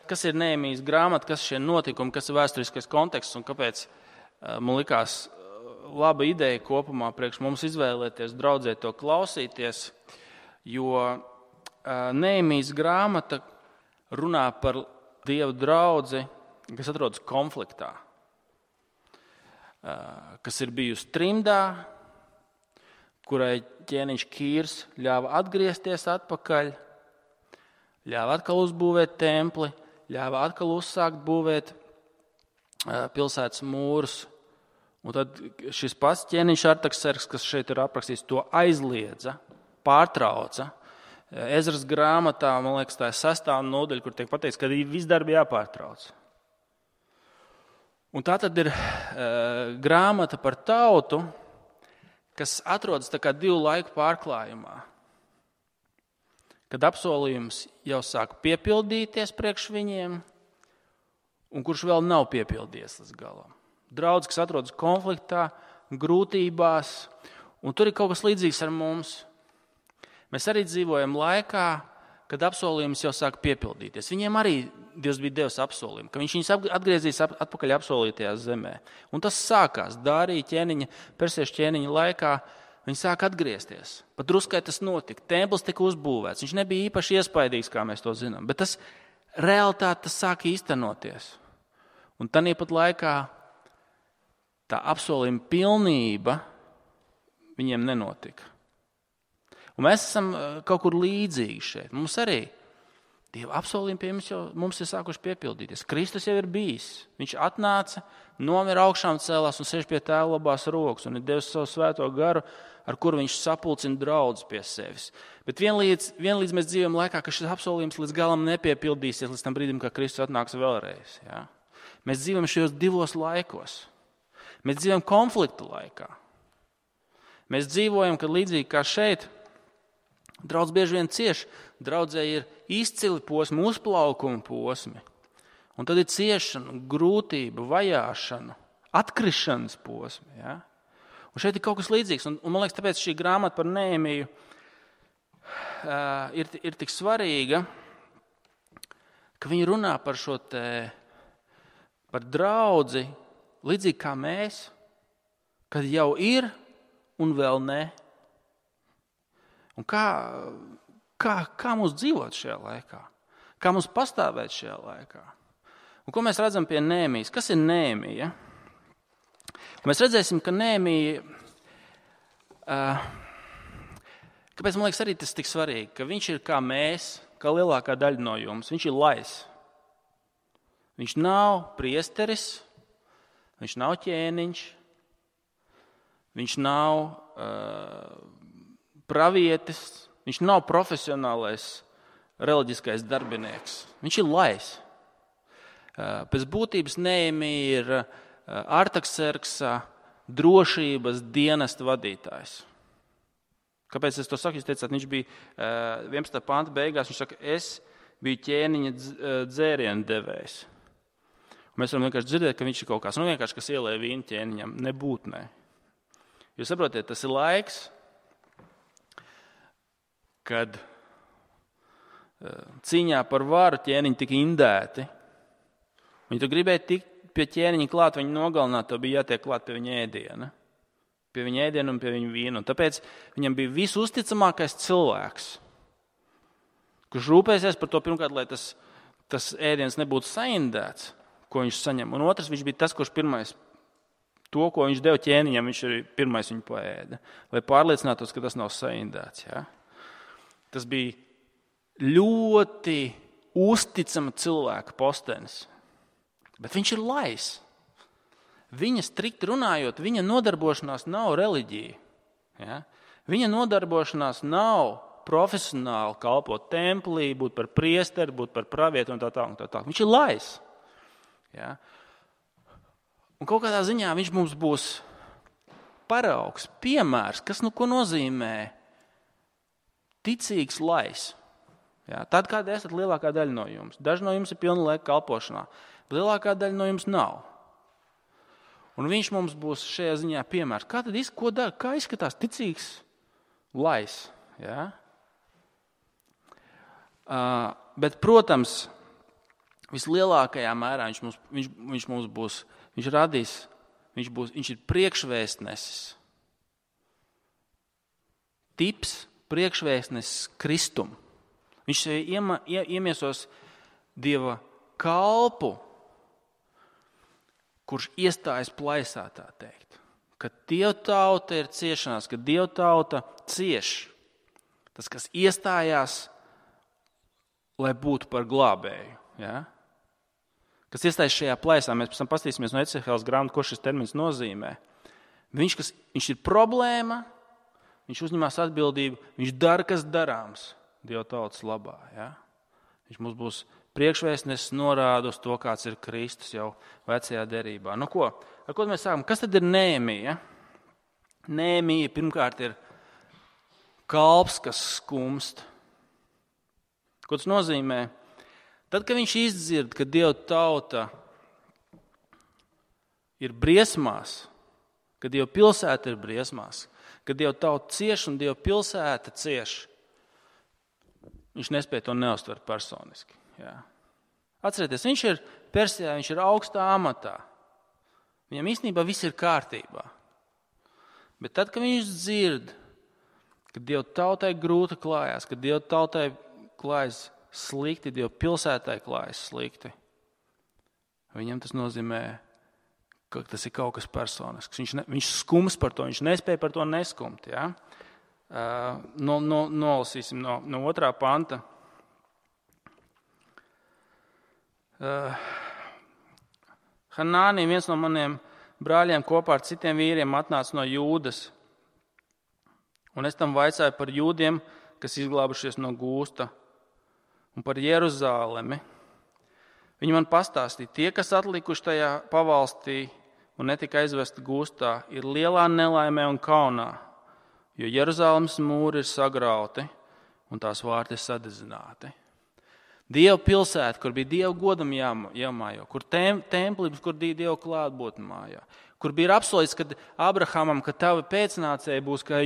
Kas ir Nehemijas grāmata, kas ir šie notikumi, kas ir vēsturiskais konteksts un kāpēc man likās laba ideja kopumā priekš mums izvēlēties, draudzē to klausīties, jo Nehemijas grāmata runā par Dieva draudzi, kas atrodas konfliktā, kas ir bijusi trimdā, kurai ķēniņš Kīrs ļāva atgriezties atpakaļ, ļāva atkal uzbūvēt templi, ļāva atkal uzsākt būvēt pilsētas mūrus. Un tad šis pats ķēniņš Artakserks, kas šeit ir aprakstīts, to aizliedza, pārtrauca. Ezras grāmatā, man liekas, tā ir 6. nodaļa, kur tiek pateikts, ka viss darbi jāpārtrauc. Un tā tad ir grāmata par tautu, kas atrodas tā kā 2 laiku pārklājumā. Kad apsolījums jau sāk piepildīties priekš viņiem, un kurš vēl nav piepildījies līdz galam. Draudz, kas atrodas konfliktā, grūtībās, un tur ir kaut kas līdzīgs ar mums. Mēs arī dzīvojam laikā, kad apsolījums jau sāk piepildīties. Viņiem arī Dievs bija devis apsolījumu, ka viņš viņus atgriezīs atpakaļ apsolītajā zemē. Un tas sākās Dārija ķēniņa, persiešu ķēniņa laikā. Viņi sāk atgriezties. Pat druskai tas notika. Templis tika uzbūvēts. Viņš nebija īpaši iespaidīgs, kā mēs to zinām. Bet tas realitāte tas sāk īstenoties. Un tāpat laikā tā apsolījuma pilnība viņiem nenotika. Un mēs esam kaut kur līdzīgi šeit. Mums arī Dieva apsolījumi pie mums ir sākuši piepildīties. Kristus jau ir bijis. Viņš atnāca, nomira augšām cēlās un sēž pie Tēva labās rokas un ir devis savu svēto garu, ar kuru viņš sapulcina draudz pie sevis. Bet vienlīdz mēs dzīvojam laikā, ka šis apsolījums līdz galam nepiepildīsies līdz tam brīdim, kad Kristus atnāks vēlreiz. Ja? Mēs dzīvojam šajos 2 laikos. Mēs dzīvojam konfliktu laikā. Mēs dzīvojam, kad līdzīgi kā šeit, draudz bieži vien cieš. Draudzē ir izcili posmi, uzplaukuma posmi. Un tad ir ciešana, grūtība, vajāšana, atkrišanas posmi. Ja? Un šeit ir kaut kas līdzīgs. Un man liekas, tāpēc šī grāmata par Nehemiju ir tik svarīga, ka viņi runā par šo par draudzi, līdzīgi kā mēs, kad jau ir un vēl ne. Un kā mums dzīvot šajā laikā? Kā mums pastāvēt šajā laikā? Un ko mēs redzam pie Nehemijas? Kas ir Nehemija? Mēs redzēsim, ka Nehemija, kāpēc man liekas arī tas tik svarīgi, ka viņš ir kā mēs, kā lielākā daļa no jums. Viņš ir lais. Viņš nav priesteris, viņš nav ķēniņš, viņš nav pravietis, viņš nav profesionālais reliģiskais darbinieks. Viņš ir lais. Pēc būtības Nehemija ir Artakserksa drošības dienesta vadītājs. Kāpēc es to saku? Jūs teicāt, viņš bija 11. panta beigās, viņš saka, es biju ķēniņa dzērienu devējs. Mēs varam vienkārši dzirdēt, ka viņš ir kaut kāds, vienkārši, kas ielēja vīnu ķēniņam, nebūtnē. Jūs saprotiet, tas ir laiks, kad cīņā par varu ķēniņi tika indēti. Viņi tu gribēja tikt pie ķēniņa klāt, viņu nogalināt, to bija jātiek klāt pie viņa ēdiena. Pie viņa ēdiena un pie viņa vīna. Un tāpēc viņam bija visusticamākais cilvēks, kurš rūpēsies par to pirmkārt, lai tas ēdiens nebūtu saindēts, ko viņš saņem. Un otrs, viņš bija tas, kurš pirmais to, ko viņš deva ķēniņam, viņš arī pirmais viņu paēda, lai pārliecinātos, ka tas nav saindēts. Ja? Tas bija ļoti uzticama cilvēka postenis. Bet viņš ir lais. Viņa strikti runājot, viņa nodarbošanās nav reliģija. Ja? Viņa nodarbošanās nav profesionāli kalpot templī, būt par priesteri, būt par pravietu un tā tā. Viņš ir lais. Ja? Un kaut kādā ziņā viņš mums būs paraugs, piemērs, kas ko nozīmē ticīgs lais. Ja? Tad, kad esat lielākā daļa no jums. Daži no jums ir pilna laika kalpošanā, bet lielākā daļa no jums nav. Un viņš mums būs šajā ziņā piemērs. Kā tad ko dara? Kā izskatās ticīgs lais? Ja? Bet, protams, vislielākajā mērā viņš mums būs, viņš radīs, viņš ir priekšvēstnesis. Tips priekšvēstnesis Kristum. Viņš iemiesos Dieva kalpu, kurš iestājas plaisā, tā teikt. Kad Dieva tauta ir ciešanās, kad Dieva tauta cieš, tas, kas iestājās, lai būtu par glābēju. Ja? Kas iestājas šajā plaisā, mēs pēc tam paskatīsimies no Ecehēlas grāmatas, ko šis termins nozīmē. Viņš ir problēma, viņš uzņemās atbildību, viņš dara, kas darāms Dieva tautas labā. Ja? Viņš mums būs priekšvēstnesis, norāda uz to, kāds ir Kristus jau vecajā derībā. Nu ko? Ar ko mēs sākam? Kas tad ir Nehemija? Nehemija pirmkārt ir kalps, kas skumst. Ko tas nozīmē? Tad, kad viņš izdzird, ka Dieva tauta ir briesmās, ka Dieva pilsēta ir briesmās, ka Dieva tauta cieš un Dieva pilsēta cieš, viņš nespēja to neuztvert personiski. Jā. Atcerieties, viņš ir Persijā, viņš ir augstā amatā. Viņam īstenībā viss ir kārtībā. Bet tad, kad viņš dzird, ka Dieva tautai grūti klājās, ka Dieva tautai klājas slikti, Dieva pilsētai klājas slikti, viņam tas nozīmē, ka tas ir kaut kas personisks. Viņš skums par to, viņš nespēja par to neskumt. Ja? Nolasīsim no 2. panta. Hanāni, viens no maniem brāļiem, kopā ar citiem vīriem atnāca no Jūdas. Un es tam vaicāju par jūdiem, kas izglābušies no gūsta, un par Jeruzālemi. Viņi man pastāstīja, tie, kas atlikuši tajā pavalstī un netika aizvesti gūstā, ir lielā nelaimē un kaunā, jo Jeruzālemes mūri ir sagrauti un tās vārti ir sadedzināti. Dieva pilsēta, kur bija Dieva godam jāmājo, kur templības, kur bija Dieva klātbūtne mājā, kur bija apsolīts, kad Abrahamam, ka tavi pēcnācēji būs kā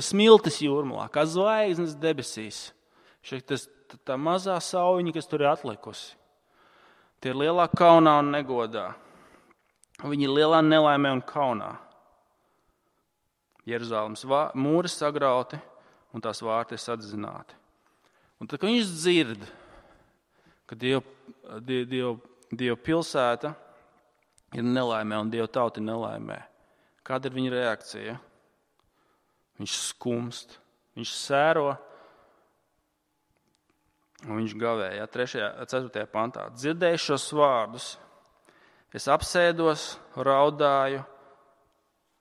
smiltis jūrmalā, kā zvaigznes debesīs. Tā mazā sauņa, kas tur ir atlikusi. Tie ir lielā kaunā un negodā. Viņi ir lielā nelaimē un kaunā. Jeruzālemes mūri sagrauti un tās vārti ir sadzināti. Un tad, kad viņš dzird, ka Dieva pilsēta ir nelaimē un Dieva tauta ir nelaimē, kāda ir viņa reakcija? Viņš skumst, viņš sēro un viņš gavēja. 4. pantā. Dzirdēju šos vārdus, es apsēdos, raudāju,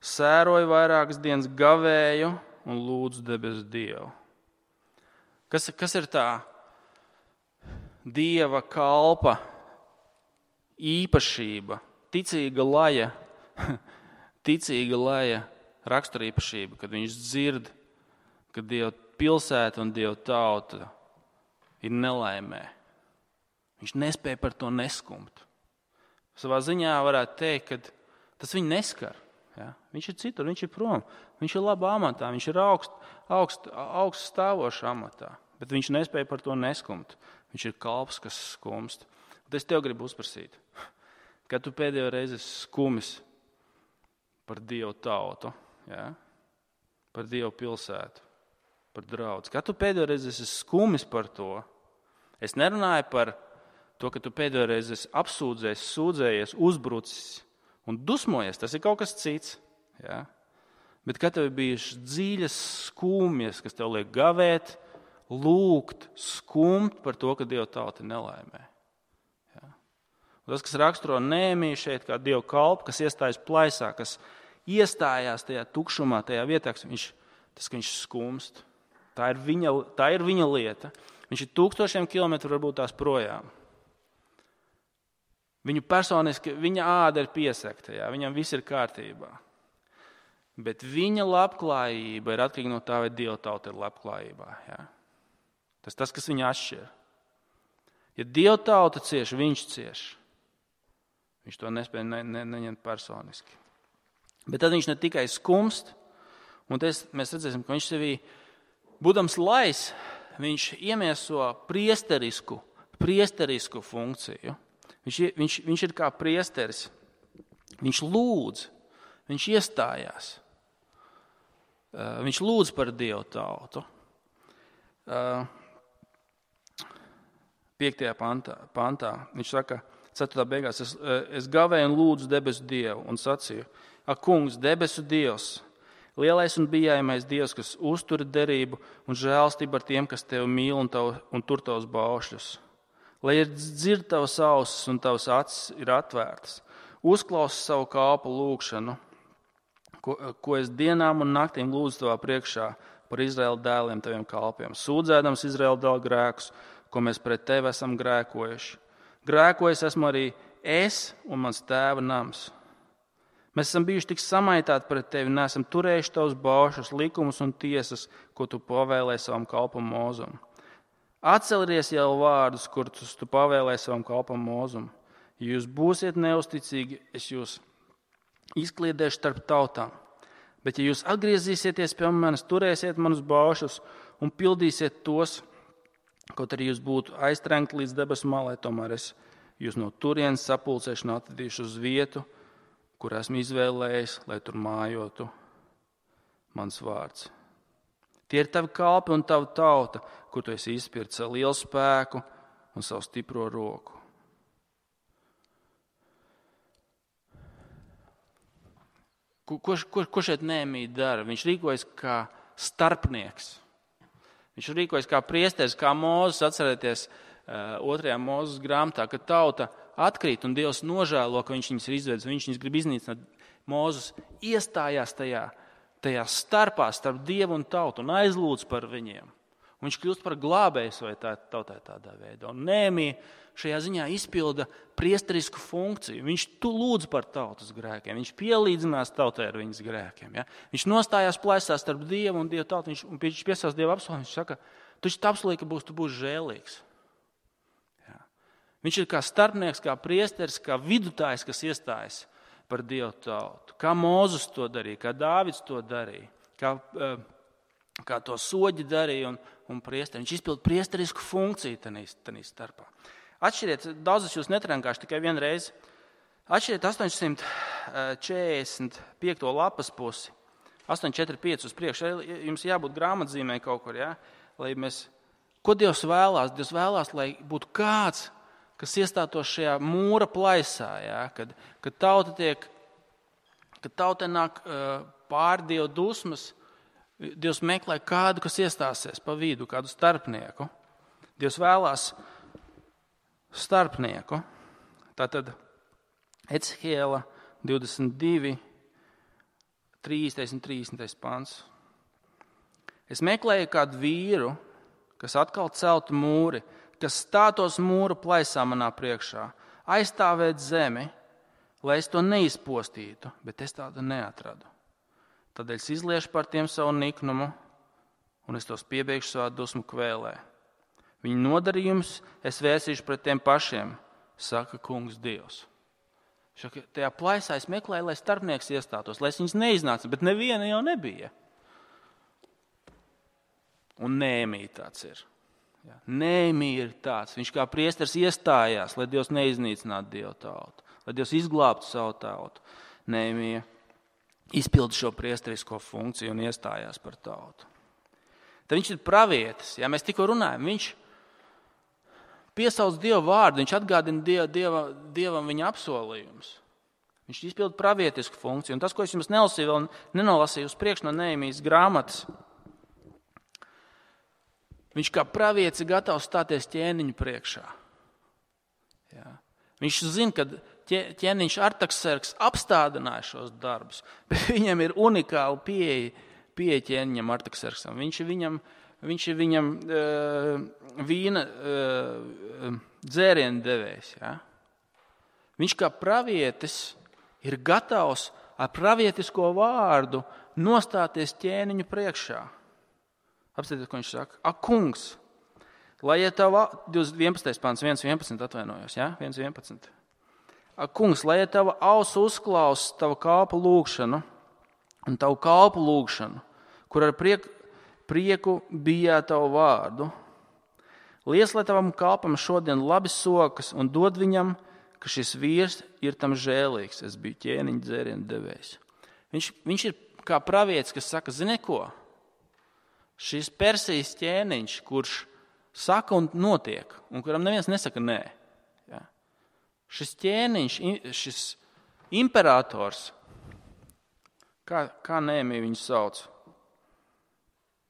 sēroju vairākas dienas, gavēju un lūdzu debesu Dievu. Kas ir tā Dieva kalpa īpašība, ticīga laja raksturīpašība, kad viņš dzird, ka Dieva pilsēta un Dieva tauta ir nelaimē. Viņš nespēja par to neskumt. Savā ziņā varētu teikt, ka tas viņu neskar. Ja? Viņš ir citur, viņš ir prom, viņš ir labā amatā, viņš ir augsts stāvošs amatā, bet viņš nespēja par to neskumt. Viņš ir kalps, kas skumst. Un es tev gribu uzprasīt, kad tu pēdējo reizi skumis par Dievu tautu, ja? Par Dievu pilsētu, par draudzi. Kad tu pēdējo reizi esi skumis par to, es nerunāju par to, ka tu pēdējo reizi esi apsūdzējies, sūdzējies, uzbrucis un dusmojies, tas ir kaut kas cits. Ja? Bet kad tev ir bijušas dziļas skumjas, kas tev liek gavēt, lūgt, skumt par to, ka Dieva tauta ir nelaimē. Ja? Tas, kas raksturo Nehemiju šeit kā Dieva kalpu, kas iestājas plaisā, kas iestājās tajā tukšumā, tajā vietā, ka viņš skumst. Tā ir viņa lieta. Viņš ir 1000 kilometru varbūt tās projām. Viņu personiski, viņa āda ir piesegta, ja? Viņam viss ir kārtībā. Bet viņa labklājība ir atkarīga no tā, vai Dieva tauta ir labklājībā. Ja? Tas, kas viņu atšķir. Ja Dieva tauta cieš, viņš cieš. Viņš to nespēja neņemt personiski. Bet tad viņš ne tikai skumst, un mēs redzēsim, ka viņš sevī, būdams lais, viņš iemieso priesterisku funkciju. Viņš ir kā priesteris. Viņš lūdz, viņš iestājās. Viņš lūdz par Dievu tautu. 5. pantā viņš saka, 4. beigās, es gavēju un lūdzu debesu Dievu un sacīju, ak, kungs, debesu Dievs, lielais un bijājamais Dievs, kas uztur derību un žēlstību ar tiem, kas tevi mīl un tur tavus baušļus. Lai ir dzird tavas ausis un tavas acis ir atvērtas. Uzklausi savu kalpu lūgšanu, ko es dienām un naktīm lūdzu tavā priekšā par Izraēla dēliem taviem kalpiem, sūdzēdams Izraēla dēlu grēkus, ko mēs pret tevi esam grēkojuši. Grēkojis esmu arī es un mans tēva nams. Mēs esam bijuši tik samaitāti pret tevi, neesam turējuši tavus baušus, likumus un tiesas, ko tu pavēlēji savam kalpam Mozum. Atcelieties jau vārdus, kurus tu pavēlēji savam kalpam Mozum. Ja jūs būsiet neusticīgi, es jūs izkliedēšu starp tautām. Bet ja jūs atgriezīsieties pie manis, turēsiet manus baušus un pildīsiet tos, kaut arī jūs būtu aiztrenkti līdz debesu malai, tomēr es jūs no turienes sapulcēšu un atvedīšu uz vietu, kur esmu izvēlējis, lai tur mājotu mans vārds. Tie ir tavi kalpi un tava tauta, kur tu esi izpircis savu lielu spēku un savu stipro roku. Ko šeit Nehemija dara? Viņš rīkojas kā starpnieks. Viņš rīkojas kā priesteris, kā Mūzes, atcerieties 2. Mūzes grāmatā, kad tauta atkrīt un Dievs nožēlo, ka viņš viņus ir izvedis, viņš viņus grib iznīcināt. Mūzes iestājās tajā starpā starp Dievu un tautu un aizlūdz par viņiem. Un viņš kļūst par glābēju vai tautai tādā veidā. Un Nehemija šajā ziņā izpilda priesterisku funkciju. Viņš lūdz par tautas grēkiem, viņš pielīdzinās tautai ar viņas grēkiem. Ja? Viņš nostājās plaisā starp Dievu un Dievu tautu, viņš piesauc Dievu apsolījumu, viņš saka, tu apsolīji, ka tu būsi žēlīgs. Ja? Viņš ir kā starpnieks, kā priesteris, kā vidutājs, kas iestājas par Dievu tautu. Kā Mūzes to darīja, kā Dāvids to darīja, kā to soģi darīja un priesteri. Viņš izpilda priesterisku funkciju tanī starpā. Atšķiriet, daudzas jūs netrenkāšu tikai vienreiz. Atšķiriet 845. lapas pusi, 845 uz priekšu. Jums jābūt grāmatzīmē kaut kur, ja? Ko Dievs vēlās? Dievs vēlās, lai būtu kāds, kas iestātos šajā mūra plaisā, ja? Kad tauta nāk pār Dievu dusmas, Dievs meklē kādu, kas iestāsies pa vidu, kādu starpnieku. Dievs vēlās starpnieku. Tātad Ecihiela 22, 30 un 30 pants. Es meklēju kādu vīru, kas atkal celtu mūri, kas stātos mūra plaisā manā priekšā, aizstāvēt zemi, lai es to neizpostītu, bet es tādu neatradu. Tādēļ es izliešu par tiem savu niknumu, un es tos piebeigšu savā dusmu kvēlē. Viņu nodarījums es vērsīšu pret tiem pašiem, saka kungs Dievs. Tajā plaisā es meklēju, lai starpnieks iestātos, lai es viņus neiznācu, bet neviena jau nebija. Un Nehemija tāds ir. Ja. Nehemija ir tāds. Viņš kā priesteris iestājās, lai Dievs neiznīcinātu Dievu tautu, lai Dievs izglābtu savu tautu. Nehemija izpilda šo priesterisko funkciju un iestājās par tautu. Tad viņš ir pravietis. Ja mēs tikko runājam, viņš piesauc Dievu vārdu, viņš atgādina Dievam viņa apsolījumus. Viņš izpilda pravietisku funkciju. Un tas, ko es jums nelasīju, vēl nenolasīju uz priekšu no Nehemijas grāmatas, viņš kā pravietis ir gatavs stāties ķēniņu priekšā. Ja. Viņš zina, ka ķēniņš Artaksērks apstādināja šos darbus, bet viņam ir unikāla pieeja ķēniņam Artaksērksam. Viņš ir viņam vīna dzērienu devējs. Ja? Viņš kā pravietis ir gatavs ar pravietisko vārdu nostāties ķēniņu priekšā. Apstāties, ko viņš saka. Ak, kungs, lai ja tava 11. pants, 1.11 atvainojos, ja? 1.11. Ak, kungs, lai ja tava ausu uzklaus tavu kalpu lūgšanu un tavu kalpu lūgšanu, kur ar prieku bijā tavu vārdu, Liec, lai tavam kalpam šodien labi sokas un dod viņam, ka šis vīrs ir tam žēlīgs. Es biju ķēniņa dzērienu devējs. Viņš ir kā pravietis, kas saka, zini ko? Šis Persijas ķēniņš, kurš saka un notiek, un kuram neviens nesaka nē. Ja? Šis ķēniņš, šis imperators, kā Nehemija viņu sauc?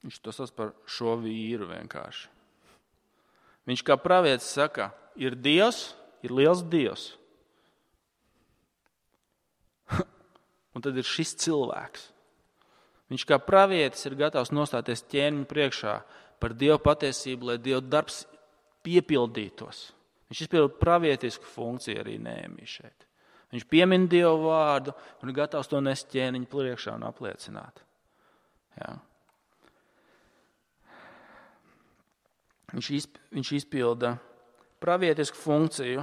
Viņš to sauc par šo vīru vienkārši. Viņš kā pravietis saka, ir Dievs, ir liels Dievs. Un tad ir šis cilvēks. Viņš kā pravietis ir gatavs nostāties ķēniņa priekšā par Dieva patiesību, lai Dieva darbs piepildītos. Viņš izpilda pravietisku funkciju arī Nehemija šeit. Viņš piemin Dievu vārdu un ir gatavs to nest ķēniņa priekšā un apliecināt. Ja. Viņš izpilda pravietisku funkciju.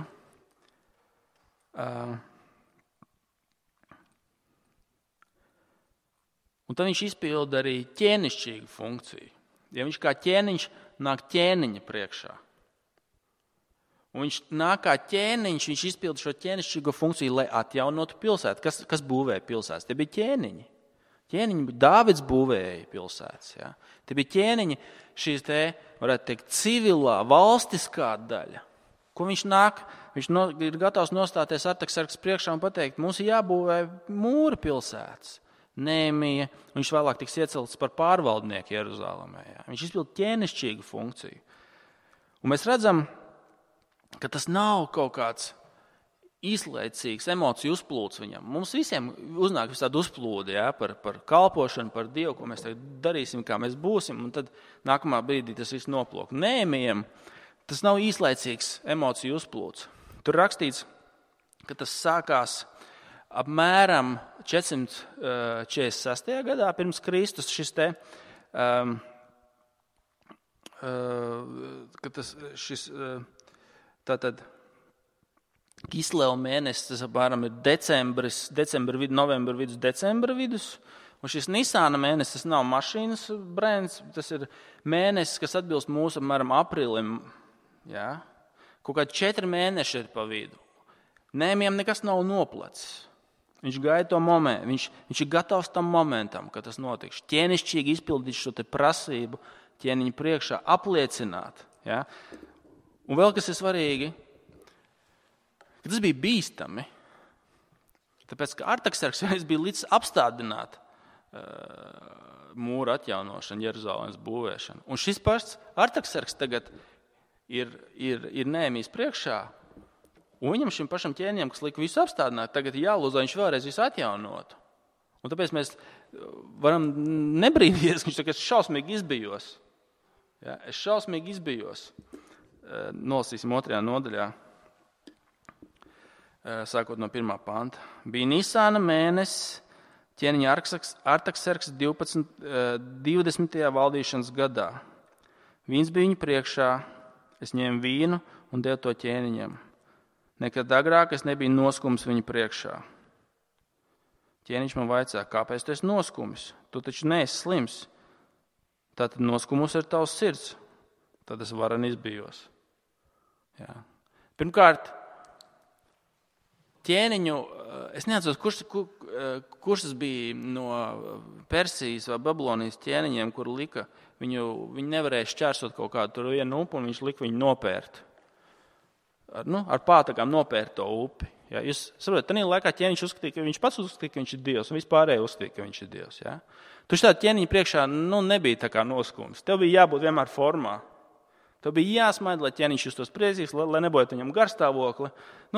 Un tad viņš izpilda arī ķēnišķīgu funkciju. Ja viņš kā ķēniņš nāk ķēniņa priekšā. Un viņš nāk kā ķēniņš, viņš izpilda šo ķēnišķīgo funkciju, lai atjaunotu pilsētu. Kas būvēja pilsētas? Tie bija ķēniņi. Dāvids būvēja pilsētas. Ja? Tie bija ķēniņi, šīs te, varētu teikt, civilā, valstiskā daļa. Ko viņš nāk? Viņš ir gatavs nostāties Artaksarks priekšā un pateikt, mums ir jābūvē mūri pilsētas. Nehemija, viņš vēlāk tiks iecelts par pārvaldnieku Jeruzālēmē. Ja? Viņš izpilda ķēnišķīgu funkciju. Un mēs redzam, ka tas nav kaut kāds īslaicīgs emociju uzplūds viņam. Mums visiem uznāk tāda uzplūde, ja, par kalpošanu, par Dievu, ko mēs darīsim, kā mēs būsim, un tad nākamā brīdī tas viss noplūk. Nehemijam tas nav īslaicīgs emociju uzplūds. Tur rakstīts, ka tas sākās apmēram 446. gadā pirms Kristus šis te, tātad Kisleva mēnesis, tas apmēram ir novembra vidus, decembra vidus, un šis Nisāna mēnesis, tas nav mašīnas brands, tas ir mēnesis, kas atbilst mūsu apmēram aprīlim, ja? Kaut kādi 4 mēneši ir pa vidu. Nehemijam nekas nav noplacis. Viņš gaida to momentu, viņš ir gatavs tam momentam, kad tas notiks. Ķēnišķīgi izpildīt šo te prasību ķēniņa priekšā, apliecināt. Ja? Un vēl kas ir svarīgi, ka tas bija bīstami, tāpēc, ka Artaksarks bija līdz apstādināt mūra atjaunošanu, Jeruzalemes būvēšanu. Un šis pats Artaksarks tagad ir Nehemijas priekšā, un viņam šim pašam ķēniņam, kas lika visu apstādināt, tagad jālūdz, lai viņš vēlreiz visu atjaunotu. Un tāpēc mēs varam nebrīnīties, ka viņš tagad šausmīgi izbijos. Ja, es šausmīgi izbijos. Nolasīsim 2. nodaļā, sākot no 1. panta. Bija Nisāna mēnesis, ķēniņa Artaksarks 20. valdīšanas gadā. Vīns bija viņa priekšā, es ņēmu vīnu un devu to ķēniņam. Nekad agrāk es nebiju noskums viņa priekšā. Ķēniņš man vaicā, kāpēc tu esi noskums? Tu taču neesi slims. Tātad noskumus ir tavs sirds. Tad es varen izbijos. Jā. Pirmkārt, ķēniņu, es neatceros, kurš tas bija no Persijas vai Babilonijas ķēniņiem, kur lika, viņi nevarēja šķērsot kaut kādu tur vienu upu un viņš lika viņu nopērt. Ar pātagām nopērt to upi. Ja? Jūs saprotat, tādā laikā ķēniņš uzskatīja, ka viņš pats uzskatīja, ka viņš ir Dievs, un vispārēji uzskatīja, ka viņš ir Dievs. Ja? Tu šādi ķēniņi priekšā nebija tā kā noskums. Tev bija jābūt vienmēr formā. Tev bija jāsmaida, lai ķēniņš justos priecīgs, lai nebojātu viņam garstāvokli.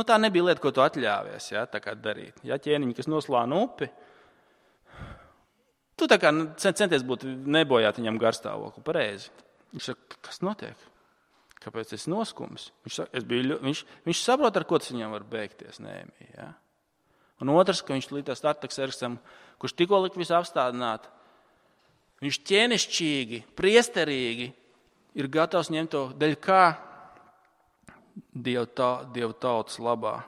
Tā nebija lieta, ko tu atļāvies, ja? Tā kā darīt. Ja ķēniņi, kas noslāna upi, tu tā kā centies būt nebojāt viņam garstāvokli. Pareizi. Viņš saka, kas notiek? Kāpēc es noskums? Viņš saprot, ar ko tas viņam var beigties. Nehemija, ja? Un otrs, ka viņš līdz Artaksarksam, kurš tikko lika visu apstādināt, viņš ķēnišķīgi, priesterīgi ir gatavs ņemt to dēļ kā Dievu tautas labā.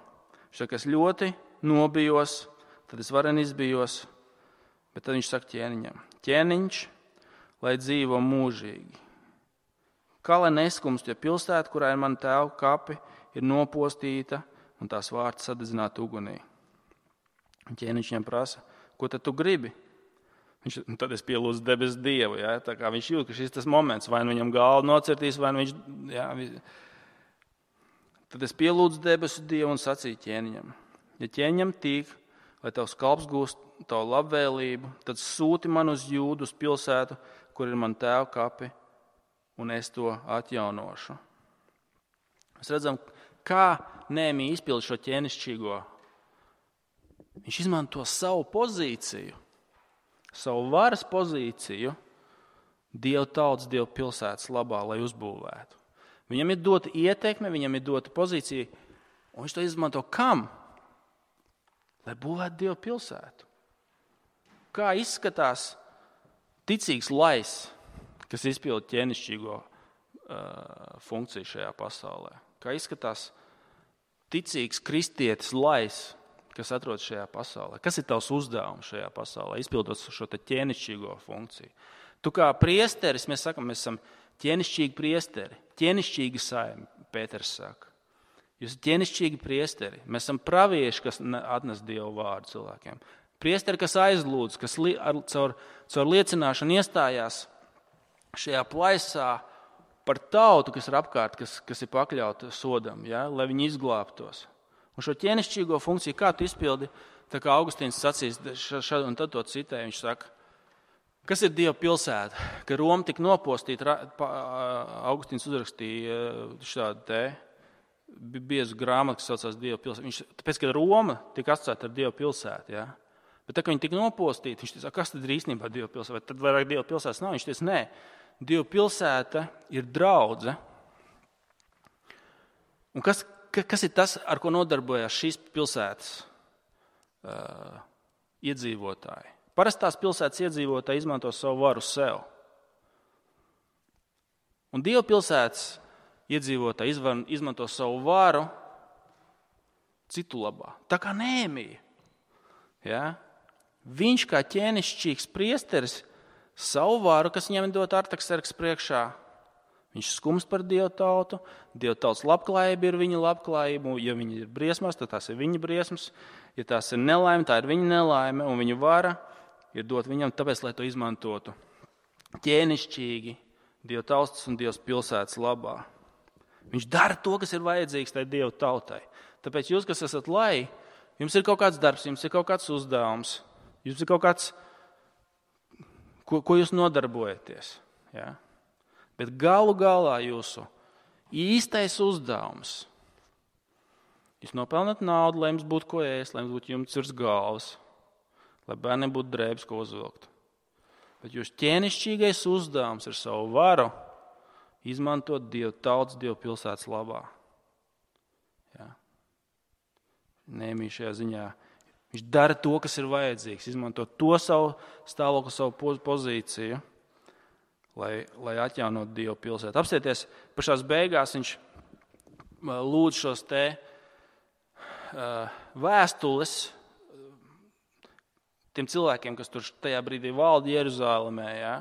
Viņš saka, es ļoti nobijos, tad es varen izbijos, bet tad viņš saka ķēniņam. Ķēniņš, lai dzīvo mūžīgi. Kā lai neskumst, ja pilsēta, kurā ir mana tēva kapi, ir nopostīta un tās vārti sadedzināt ugunī. Ķēniņš viņam prasa, ko tad tu gribi? Tad es pielūdzu debesu Dievu. Ja? Tā kā viņš jūt, ka šis tas moments, vai nu viņam galvu nocirtīs, vai nu viņš... Ja, tad es pielūdzu debesu Dievu un sacīju ķēniņam. Ja ķēniņam tīk, lai tavs kalps gūst tavu labvēlību, tad sūti man uz Jūdu, uz pilsētu, kur ir man tēva kapi, un es to atjaunošu. Mēs redzam, kā Nehemija izpild šo ķēnišķīgo. Viņš izmanto savu pozīciju, savu varas pozīciju Dieva tautas, Dieva pilsētas labā, lai uzbūvētu. Viņam ir dota ietekme, viņam ir dota pozīcija, un viņš to izmanto kam? Lai būvētu Dieva pilsētu. Kā izskatās ticīgs lais, kas izpilda ķēnišķīgo funkciju šajā pasaulē? Kā izskatās ticīgs kristietis lais, kas atrodas šajā pasaulē? Kas ir tavs uzdevums šajā pasaulē, izpildot šo ķēnišķīgo funkciju? Tu kā priesteris, mēs sakam, mēs esam ķēnišķīgi priesteri, ķēnišķīgi saimi, Pēters saka. Jūs esat ķēnišķīgi priesteri. Mēs esam pravieši, kas atnes Dievu vārdu cilvēkiem. Priesteri, kas aizlūdz, kas caur liecināšanu iestājās šajā plaisā par tautu, kas ir apkārt, kas ir pakļauta sodam, ja, lai viņi izglābtos. Un šo ķēnišķīgo funkciju, kā tu izpildi, tā kā Augustīns sacīs, un tad to citēja, viņš saka, kas ir Dieva pilsēta? Ka Roma tika nopostīta, Augustīns uzrakstīja šādu te biezu grāmatu, kas saucās Dieva pilsēta. Tāpēc, ka Roma tika atstāta ar Dieva pilsētu, ja? Bet tā, ka viņi tika nopostīti, viņš teica, kas tad ir īstenībā Dieva pilsēta? Vai tad vairāk Dieva pilsētas nav? Viņš teica, nē, Dieva pilsēta ir draudze. Un kas ir tas, ar ko nodarbojās šīs pilsētas iedzīvotāji? Parastās pilsētas iedzīvotāji izmanto savu varu sev. Un Dieva pilsētas iedzīvotāji izmanto savu varu citu labā. Tā kā Nehemija. Ja? Viņš kā ķēnišķīgs priesteris savu varu, kas viņam dot Artakserksa priekšā, viņš skumst par Dieva tautu, Dieva tautas labklājība ir viņa labklājība, ja viņi ir briesmās, tad tās ir viņa briesmas, ja tās ir nelaime, tā ir viņa nelaime, un viņa vara ir dot viņam tāpēc, lai to izmantotu ķēnišķīgi Dieva tautas un Dievas pilsētas labā. Viņš dara to, kas ir vajadzīgs tai Dieva tautai. Tāpēc jūs, kas esat lai, jums ir kaut kāds darbs, jums ir kaut kāds uzdevums, jums ir kaut kāds, ko jūs nodarbojaties. Ja? Bet galu galā jūsu īstais uzdevums. Jūs nopelnat naudu, lai jums būtu ko ēst, lai jums būtu jumts virs galvas, lai bērniem būtu drēbes, ko uzvilkt. Bet jūsu ķēnišķīgais uzdevums ir savu varu izmantot Dieva tautas, Dieva pilsētas labā. Ja? Nehemija šajā ziņā. Viņš dara to, kas ir vajadzīgs, izmanto to savu stāvokli, savu pozīciju, lai atjaunotu Dieva pilsētu. Apstieties, pašās beigās viņš lūdz šos te vēstules tiem cilvēkiem, kas tur tajā brīdī valda Jeruzālēmē. Ja?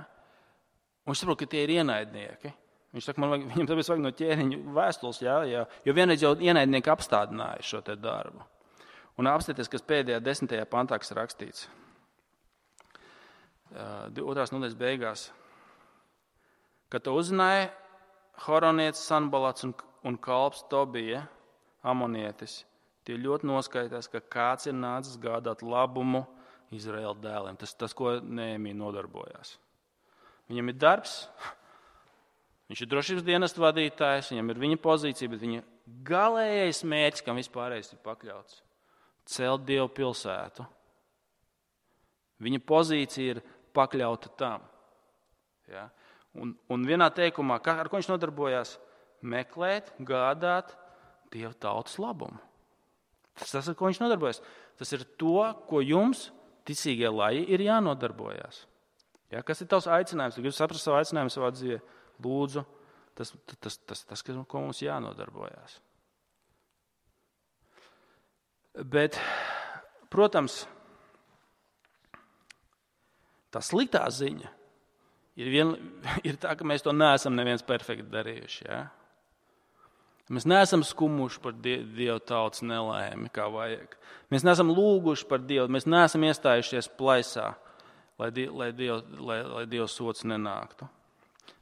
Un viņš saprot, ka tie ir ienaidnieki. Viņš saka, viņam tāpēc vajag no ķēniņa vēstules, ja? Jo vienreiz jau ienaidnieki apstādināja šo te darbu. Un apstieties, kas pēdējā 10. pantā, kas rakstīts. 2. nodaļas beigās. Kad to uzzināja Horonietis Sanbalats un kalps Tobija, amonietis, tie ļoti noskaitās, ka kāds ir nācis gādāt labumu Izraēla dēliem. Tas, ko Nehemija nodarbojās. Viņam ir darbs, viņš ir drošības dienestu vadītājs, viņam ir viņa pozīcija, bet viņa galējais mērķis, kam vispārējais ir pakļauts, celt Dievu pilsētu. Viņa pozīcija ir pakļauta tam. Ja? Un vienā teikumā, ar ko viņš nodarbojās? Meklēt, gādāt Dieva tautas labumu. Tas, ar ko viņš nodarbojas. Tas ir to, ko jums, ticīgie laji, ir jānodarbojas. Ja? Kas ir tavs aicinājums? Tu gribi saprast savu aicinājumu savā dzīvē? Lūdzu, tas, ko mums jānodarbojas. Bet, protams, tā sliktā ziņa Ir tā, ka mēs to neesam neviens perfekti darījuši. Ja? Mēs neesam skumuši par Dieva tautas nelaimi, kā vajag. Mēs neesam lūguši par Dievu, mēs neesam iestājušies plaisā, lai Dieva sots nenāktu.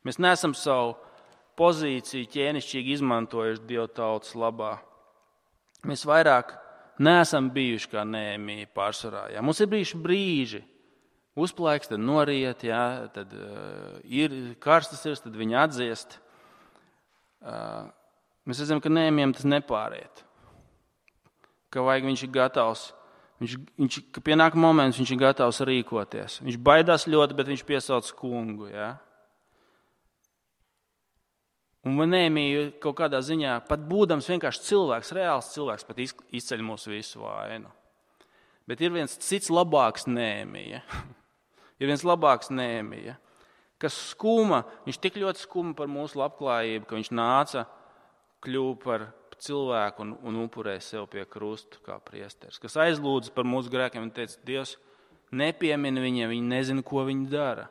Mēs neesam savu pozīciju ķēnišķīgi izmantojuši Dieva tautas labā. Mēs vairāk neesam bijuši kā Nehēmija pārsvarā. Ja? Mums ir bijuši brīži, uzplaiks, tad noriet, ja? Tad ir karstas ir, tad viņi atdziest. Mēs redzam, ka Nehēmijam tas nepāriet. Ka vajag viņš ir gatavs, ka pienāk moments, viņš ir gatavs rīkoties. Viņš baidās ļoti, bet viņš piesauc kungu. Ja? Un Nehēmija kaut kādā ziņā, pat būdams vienkārši cilvēks, reāls cilvēks, pat izceļ mūsu visu vainu. Bet ir viens cits labāks Nehēmija. Ir viens labāks Nehēmija, kas skuma, viņš tik ļoti skuma par mūsu labklājību, ka viņš nāca, kļuva par cilvēku un upurēja sev pie krustu kā priesteris, kas aizlūdza par mūsu grēkiem un teica, Dievs nepiemina viņiem, viņi nezina, ko viņi dara.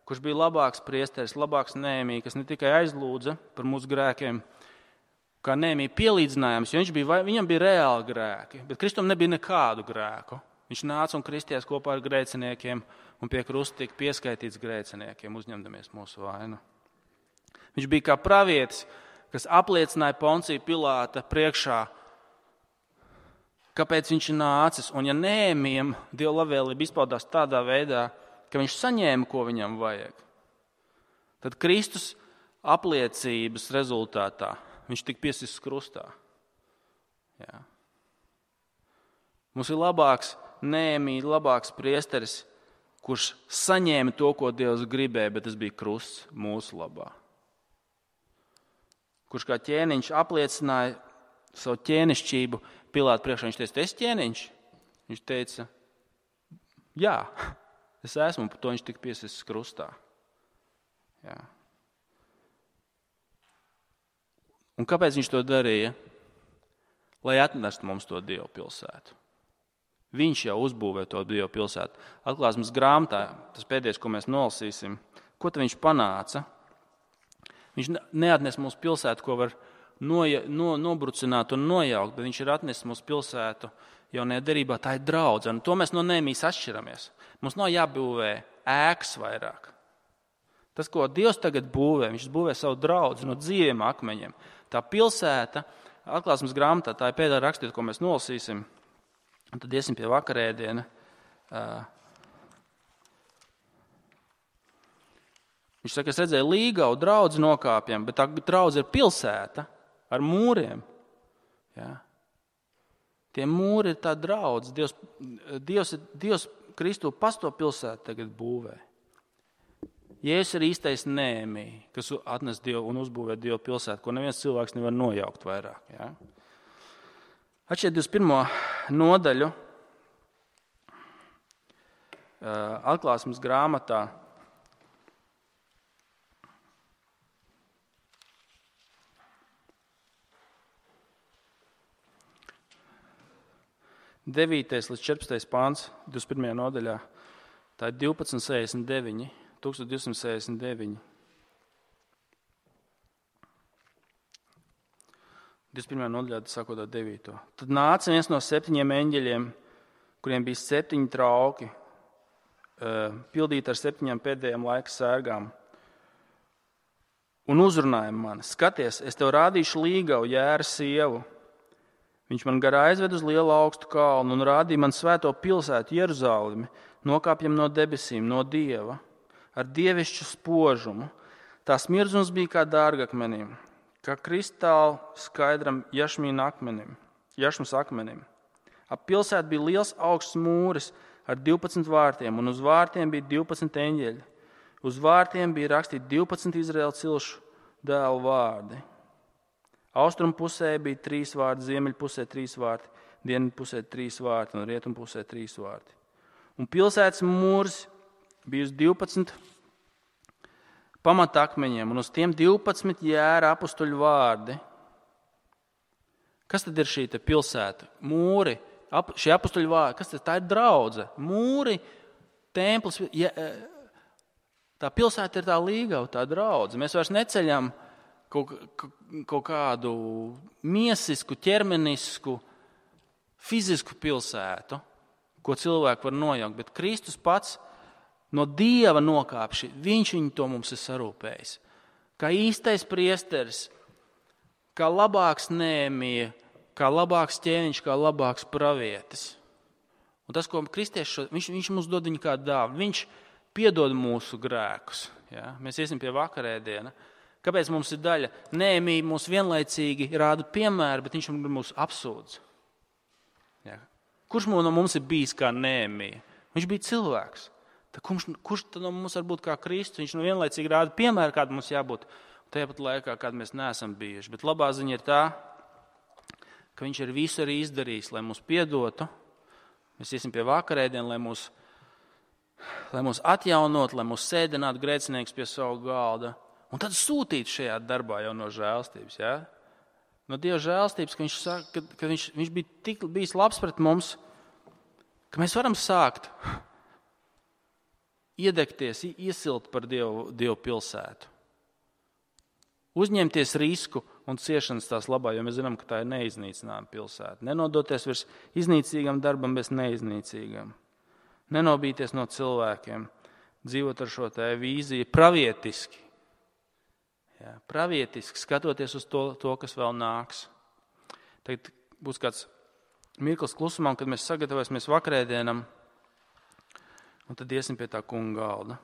Kurš bija labāks priesteris, labāks Nehēmija, kas ne tikai aizlūdza par mūsu grēkiem, kā Nehēmija pielīdzinājums, jo viņam bija reāli grēki, bet Kristum nebija nekādu grēku. Viņš nāca un kristījās kopā ar grēciniekiem un pie krusta tika pieskaitīts grēciniekiem, uzņemdamies mūsu vainu. Viņš bija kā pravietis, kas apliecināja Poncija Pilāta priekšā, kāpēc viņš ir nācis. Un ja Nehēmijam Dieva labvēlība izpaudās tādā veidā, ka viņš saņēma, ko viņam vajag, tad Kristus apliecības rezultātā viņš tika piesists krustā. Jā. Mums ir labāks Nehēmija, labāks priesteris, kurš saņēma to, ko Dievs gribēja, bet tas bija krusts mūsu labā. Kurš kā ķēniņš apliecināja savu ķēnišķību Pilāta priekšā. Viņš teica, es ķēniņš? Viņš teica, jā, es esmu, un par to viņš tika piesists krustā. Jā. Un kāpēc viņš to darīja? Lai atnestu mums to Dievu pilsētu. Viņš jau uzbūvē to Dievu pilsētu. Atklāsmes grāmatā, tas pēdējais, ko mēs nolasīsim, ko tad viņš panāca? Viņš neatnes mūsu pilsētu, ko var nobrucināt un nojaukt, bet viņš ir atnesis mūsu pilsētu jaunajā derībā. Tā ir draudze, un to mēs no Nehēmijas atšķiramies. Mums nav jābūvē ēkas vairāk. Tas, ko Dievs tagad būvē, viņš būvē savu draudzi no dzīviem akmeņiem. Tā pilsēta, atklāsmes grāmatā, tā ir pēdējā rakstiet, ko mēs nolasīsim, un tad iesim pie vakarēdiena. Viņš saka, es redzēju līgavu draudzi nokāpjam, bet tā draudze ir pilsēta ar mūriem. Ja? Tie mūri ir tā draudze. Dievs Kristu pasto pilsētu tagad būvē. Jēzus ir īstais Nehēmija, kas atnes Dievu un uzbūvē Dievu pilsētu, ko neviens cilvēks nevar nojaukt vairāk. Ja? Atšķiet 21. nodaļu atklāsmes grāmatā. 9. līdz 14. pāns, 21. nodaļā, tā ir 1269, 1269. 21. nodaļā, sākot ar 9. Tad nāca viens no 7 eņģeļiem, kuriem bija 7 trauki, pildīti ar 7 pēdējām laika sērgām, un uzrunāja mani. Skaties, es tev rādīšu līgavu jēra sievu. Viņš man garā aizved uz lielu augstu kalnu un rādīja man svēto pilsētu Jeruzalemi, nokāpjam no debesīm, no Dieva, ar dievišķu spožumu. Tā smirdzums bija kā dārgakmenim, kā kristāli skaidram jašmas akmenim. Ap pilsētu bija liels augsts mūris ar 12 vārtiem, un uz vārtiem bija 12 eņģeļi. Uz vārtiem bija rakstīti 12 Izraēla cilšu dēlu vārdi. Austrumu pusē bija 3 vārti, ziemeļu pusē 3 vārti, dienvidu pusē 3 vārti un rietumu pusē 3 vārti. Un pilsētas mūrs bija uz 12 pamatakmeņiem, un uz tiem 12 jēra apustuļu vārdi. Kas tad ir šī pilsēta? Mūri, šie apustuļu vārdi, kas tad? Tā ir draudze. Mūri, templis, Tā pilsēta ir tā līgava, tā draudze. Mēs vairs neceļam kaut kādu miesisku, ķermenisku, fizisku pilsētu, ko cilvēki var nojaukt, bet Kristus pats no Dieva nokāpši, viņš viņu to mums ir sarūpējis. Kā īstais priesteris, kā labāks Nēmija, kā labāks ķēniņš, kā labāks pravietis. Un tas, ko kristieši, viņš mums dod viņu kā dāvanu, viņš piedod mūsu grēkus. Ja? Mēs iesim pie vakarēdiena. Kāpēc mums ir daļa? Nēmija mūs vienlaicīgi rāda piemēru, bet viņš mūs apsūdz. Ja? Kurš no mums ir bijis kā Nēmija? Viņš bija cilvēks. Kurš tad no mums var būt kā Kristus? Viņš vienlaicīgi rāda piemēru, kāda mums jābūt. Tāpat laikā, kad mēs neesam bijuši. Bet labā ziņa ir tā, ka viņš ir visu arī izdarījis, lai mūs piedotu. Mēs iesim pie vakarēdiena, lai mūs atjaunot, lai mūs sēdinātu grēcinieks pie savu galda. Un tad sūtīt šajā darbā jau no žēlstības. Ja? No Dieva žēlstības, ka viņš saka, ka viņš bija bijis labs pret mums, ka mēs varam sākt iedegties, iesilt par Dievu pilsētu. Uzņemties risku un ciešanas tās labā, jo mēs zinām, ka tā ir neiznīcināma pilsēta. Nenodoties virs iznīcīgam darbam, bet neiznīcīgam. Nenobīties no cilvēkiem, dzīvot ar šo tā vīziju pravietiski. Ja, pravietiski, skatoties uz to, kas vēl nāks. Tagad būs kāds mirklis klusumā, kad mēs sagatavosimies vakarēdienam, un tad iesim pie tā kunga galda.